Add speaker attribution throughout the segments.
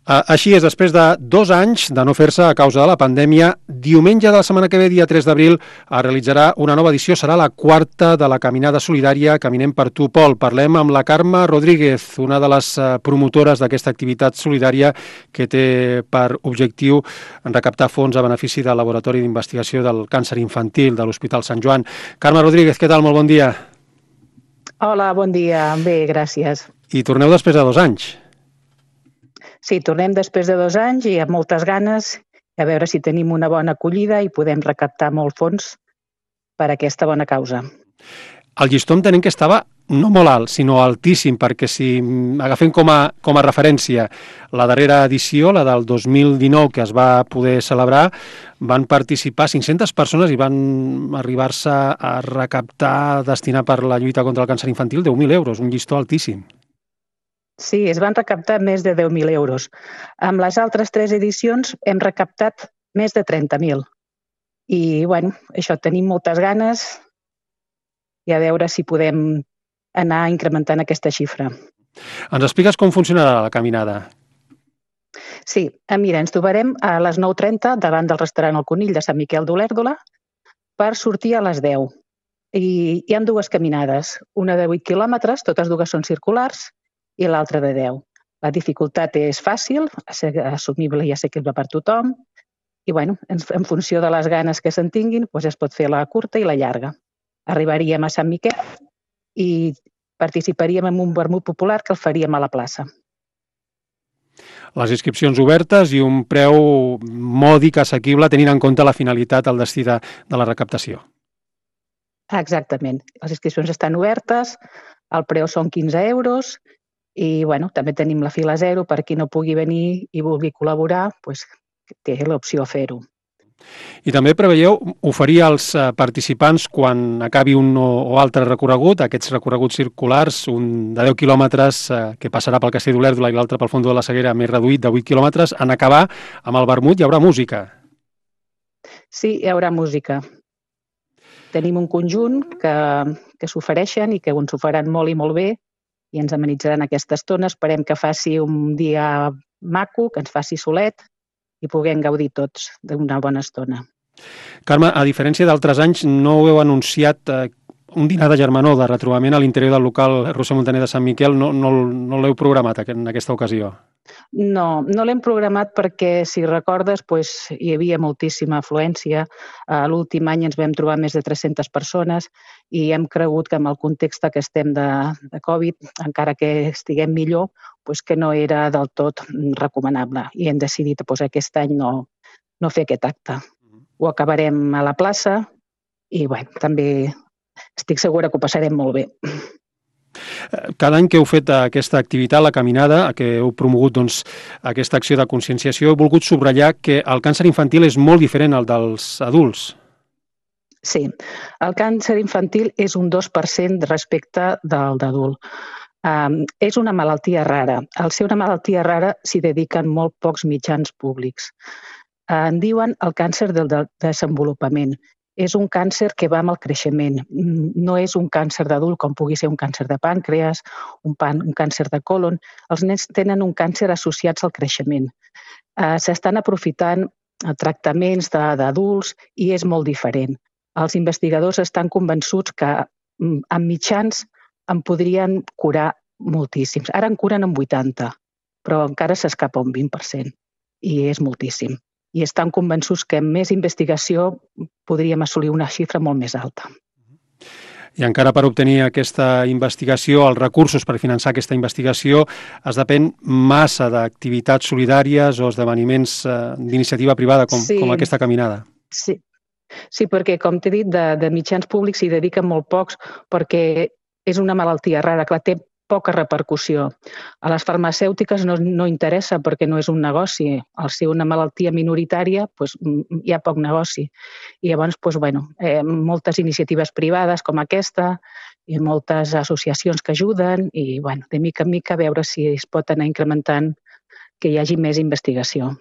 Speaker 1: Així és, després de 2 anys de no fer-se a causa de la pandèmia, diumenge de la setmana que ve, dia 3 d'abril, es realitzarà una nova edició. Serà la 4ª de la caminada solidària Caminem per tu, Pol. Parlem amb la Carme Rodríguez, una de les promotores d'aquesta activitat solidària que té per objectiu recaptar fons a benefici del Laboratori d'Investigació del Càncer Infantil de l'Hospital Sant Joan. Carme Rodríguez, què tal? Molt bon dia.
Speaker 2: Hola, bon dia. Bé, gràcies.
Speaker 1: I torneu després de 2 anys.
Speaker 2: Sí, tornem després de 2 anys i amb moltes ganes a veure si tenim una bona acollida i podem recaptar molt fons per a aquesta bona causa.
Speaker 1: El llistó entenem que estava no molt alt, sinó altíssim, perquè si agafem com a referència la darrera edició, la del 2019, que es va poder celebrar, van participar 500 persones i van arribar-se a recaptar, destinar per la lluita contra el càncer infantil 10.000 euros, un llistó altíssim.
Speaker 2: Sí, es van recaptar més de 10.000 euros. Amb les altres 3 edicions hem recaptat més de 30.000. I, bueno, això, tenim moltes ganes i a veure si podem anar incrementant aquesta xifra.
Speaker 1: Ens expliques com funcionarà la caminada?
Speaker 2: Sí, mira, ens trobarem a les 9:30 davant del restaurant El Conill de Sant Miquel d'Olèrdola per sortir a les 10. I hi ha 2 caminades, una de 8 quilòmetres, totes 2 són circulars, i l'altra de 10. La dificultat és fàcil, assumible i assequible per tothom, i bueno, en funció de les ganes que se'n tinguin, es pot fer la curta i la llarga. Arribaríem a Sant Miquel i participaríem en un vermut popular que el faríem a la plaça.
Speaker 1: Les inscripcions obertes i un preu mòdic, assequible, tenint en compte la finalitat, el destí de la recaptació.
Speaker 2: Exactament. Les inscripcions estan obertes, el preu són 15 euros, i bueno, també tenim la fila 0 per qui no pugui venir i vulgui col·laborar, té l'opció a fer-ho.
Speaker 1: I també preveieu oferir als participants, quan acabi un o altre recorregut, aquests recorreguts circulars, un de 10 quilòmetres que passarà pel Castell d'Olèrdola i l'altre pel Fondó de la Seguera, més reduït, de 8 quilòmetres, en acabar amb el vermut hi haurà música.
Speaker 2: Sí, hi haurà música. Tenim un conjunt que s'ofereixen i que ens ho faran molt i molt bé, i ens amenitzaran aquesta estona. Esperem que faci un dia maco, que ens faci solet i puguem gaudir tots d'una bona estona.
Speaker 1: Carme, a diferència d'altres anys, no heu anunciat un dinar de germanor, de retrobament a l'interior del local Roser Montaner de Sant Miquel. No l'heu programat en aquesta ocasió?
Speaker 2: No l'hem programat perquè, si recordes, hi havia moltíssima afluència. L'últim any ens vam trobar més de 300 persones i hem cregut que amb el context que estem de Covid, encara que estiguem millor, que no era del tot recomanable. I hem decidit aquest any no fer aquest acte. Ho acabarem a la plaça i també estic segura que ho passarem molt bé.
Speaker 1: Cada any que heu fet aquesta activitat, la caminada, que heu promogut aquesta acció de conscienciació, heu volgut subratllar que el càncer infantil és molt diferent al dels adults.
Speaker 2: Sí, el càncer infantil és un 2% respecte del d'adult. És una malaltia rara. Al ser una malaltia rara s'hi dediquen molt pocs mitjans públics. En diuen el càncer del desenvolupament. És un càncer que va amb el creixement. No és un càncer d'adult com pugui ser un càncer de pàncreas, un càncer de còlon. Els nens tenen un càncer associats al creixement. S'estan aprofitant tractaments d'adults i és molt diferent. Els investigadors estan convençuts que amb mitjans en podrien curar moltíssims. Ara en curen amb 80, però encara s'escapa un 20%. I és moltíssim. I estan convençuts que amb més investigació podríem assolir una xifra molt més alta.
Speaker 1: I encara per obtenir aquesta investigació, els recursos per finançar aquesta investigació, es depèn massa d'activitats solidàries o esdeveniments d'iniciativa privada com aquesta caminada.
Speaker 2: Sí, perquè, com t'he dit, de mitjans públics s'hi dediquen molt pocs perquè és una malaltia rara, clar, té poca repercussió. A les farmacèutiques no interessa perquè no és un negoci. Al ser una malaltia minoritària hi ha poc negoci. I llavors, moltes iniciatives privades com aquesta i moltes associacions que ajuden i, de mica en mica, veure si es pot anar incrementant que hi hagi més investigació.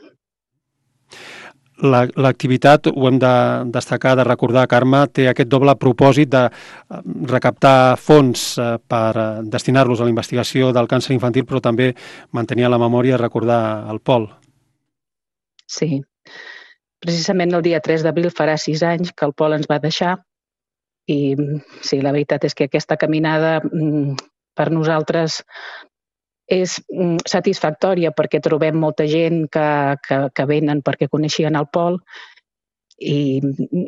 Speaker 1: L'activitat, ho hem de destacar, de recordar, Carme, té aquest doble propòsit de recaptar fons per destinar-los a la investigació del càncer infantil, però també mantenir a la memòria i recordar el Pol.
Speaker 2: Sí, precisament el dia 3 d'abril farà 6 anys que el Pol ens va deixar i sí, la veritat és que aquesta caminada per nosaltres és satisfactòria perquè trobem molta gent que venen perquè coneixien el Pol i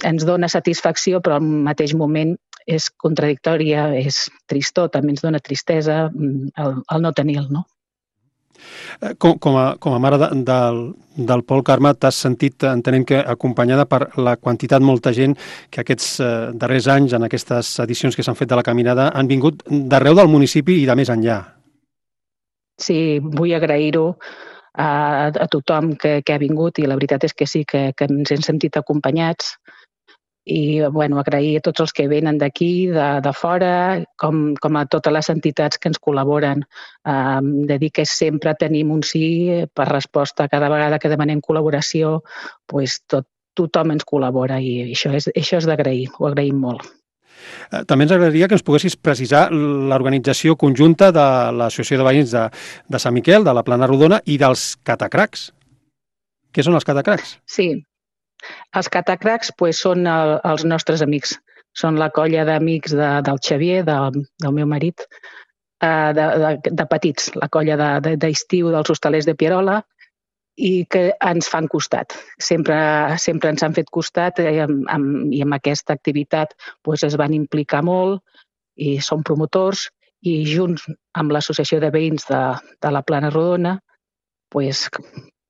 Speaker 2: ens dona satisfacció, però al mateix moment és contradictòria, és tristor, també ens dona tristesa el no tenir-lo, no?
Speaker 1: Com a mare del Pol, Carme, t'has sentit, entenent que acompanyada per la quantitat, molta gent que aquests darrers anys, en aquestes edicions que s'han fet de la caminada, han vingut d'arreu del municipi i de més enllà.
Speaker 2: Sí, vull agrair-ho a tothom que ha vingut i la veritat és que sí, que ens hem sentit acompanyats i agrair a tots els que venen d'aquí, de fora, com a totes les entitats que ens col·laboren. De dir que sempre tenim un sí per resposta. Cada vegada que demanem col·laboració, tothom ens col·labora i això és d'agrair, ho agraïm molt.
Speaker 1: També ens agradaria que ens poguessis precisar l'organització conjunta de l'Associació de Veïns de Sant Miquel, de la Plana Rodona i dels Catacracs. Què són els Catacracs?
Speaker 2: Sí, els Catacracs són els nostres amics. Són la colla d'amics del Xavier, del meu marit, de petits, la colla d'estiu dels hostalers de Pierola, i que ens fan costat. Sempre ens han fet costat i amb aquesta activitat es van implicar molt i són promotors i junts amb l'Associació de Veïns de la Plana Rodona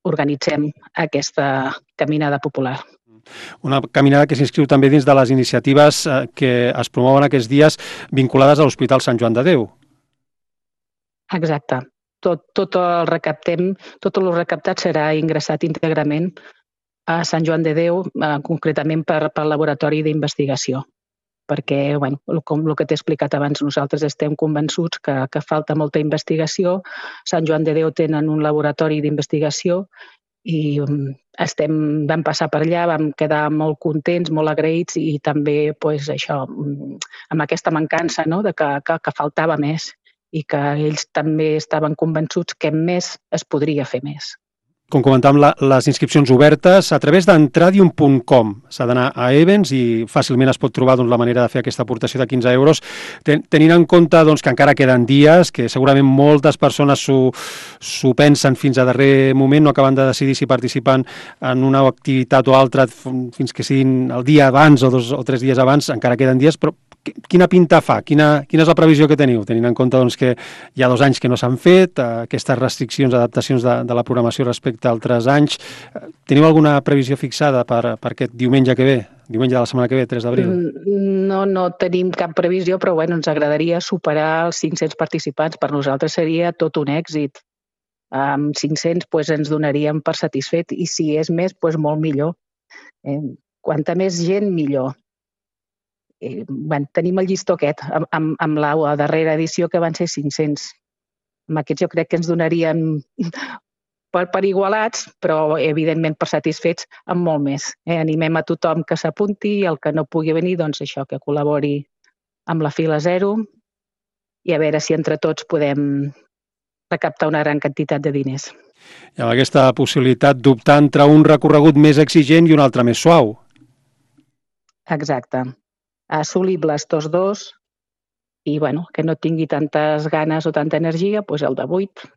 Speaker 2: organitzem aquesta caminada popular.
Speaker 1: Una caminada que s'inscriu també dins de les iniciatives que es promouen aquests dies vinculades a l'Hospital Sant Joan de Déu.
Speaker 2: Exacte. Tot el recaptat serà ingressat íntegrament a Sant Joan de Déu, concretament per laboratori d'investigació. Perquè, com el que t'he explicat abans, nosaltres estem convençuts que falta molta investigació. Sant Joan de Déu tenen un laboratori d'investigació i vam passar per allà, vam quedar molt contents, molt agraïts i també això, amb aquesta mancança que faltava més i que ells també estaven convençuts que més es podria fer més.
Speaker 1: Com comentàvem, les inscripcions obertes a través d'entradium.com. S'ha d'anar a Events i fàcilment es pot trobar la manera de fer aquesta aportació de 15 euros, tenint en compte que encara queden dies, que segurament moltes persones s'ho pensen fins a darrer moment, no acaben de decidir si participen en una activitat o altra fins que siguin el dia abans o 2 o 3 dies abans, encara queden dies, però quina pinta fa? Quina és la previsió que teniu? Tenint en compte que hi ha 2 anys que no s'han fet, aquestes restriccions, adaptacions de la programació respecte a altres anys. Teniu alguna previsió fixada per aquest diumenge que ve? Diumenge de la setmana que ve, 3 d'abril?
Speaker 2: No tenim cap previsió, però ens agradaria superar els 500 participants. Per nosaltres seria tot un èxit. Amb 500 ens donaríem per satisfet i si és més, molt millor. Quanta més gent, millor. Tenim el llistó aquest, amb la darrera edició que van ser 500. Amb aquests jo crec que ens donarien per igualats, però evidentment per satisfets amb molt més. Animem a tothom que s'apunti i el que no pugui venir, això, que col·labori amb la fila 0 i a veure si entre tots podem recaptar una gran quantitat de diners.
Speaker 1: I amb aquesta possibilitat d'optar entre un recorregut més exigent i un altre més suau.
Speaker 2: Exacte. Assolibles tots 2 i que no tingui tantes ganes o tanta energia, el de 8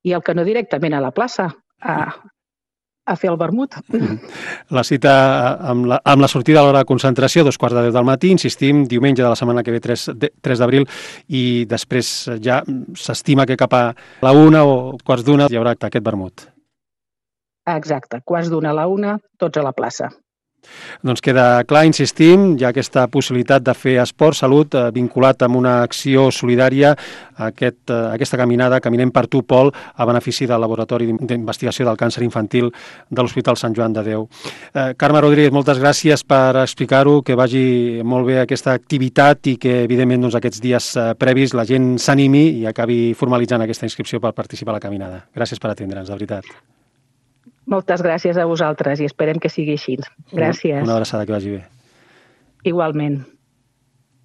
Speaker 2: i el que no directament a la plaça a fer el vermut.
Speaker 1: La cita amb la sortida a l'hora de concentració, 2:15 del matí, insistim, diumenge de la setmana que ve, 3 d'abril, i després ja s'estima que cap a la 1 o 1:15 hi haurà aquest vermut.
Speaker 2: Exacte, 1:15 a la 1, tots a la plaça.
Speaker 1: Doncs queda clar, insistim, hi ha aquesta possibilitat de fer esport, salut, vinculat amb una acció solidària, aquesta caminada, Caminem per tu, Pol, a benefici del Laboratori d'Investigació del Càncer Infantil de l'Hospital Sant Joan de Déu. Carme Rodríguez, moltes gràcies per explicar-ho, que vagi molt bé aquesta activitat i que, evidentment, aquests dies previs la gent s'animi i acabi formalitzant aquesta inscripció per participar a la caminada. Gràcies per atendre'ns, de veritat.
Speaker 2: Moltes gràcies a vosaltres i esperem que sigui així. Gràcies.
Speaker 1: Una abraçada, que vagi bé.
Speaker 2: Igualment.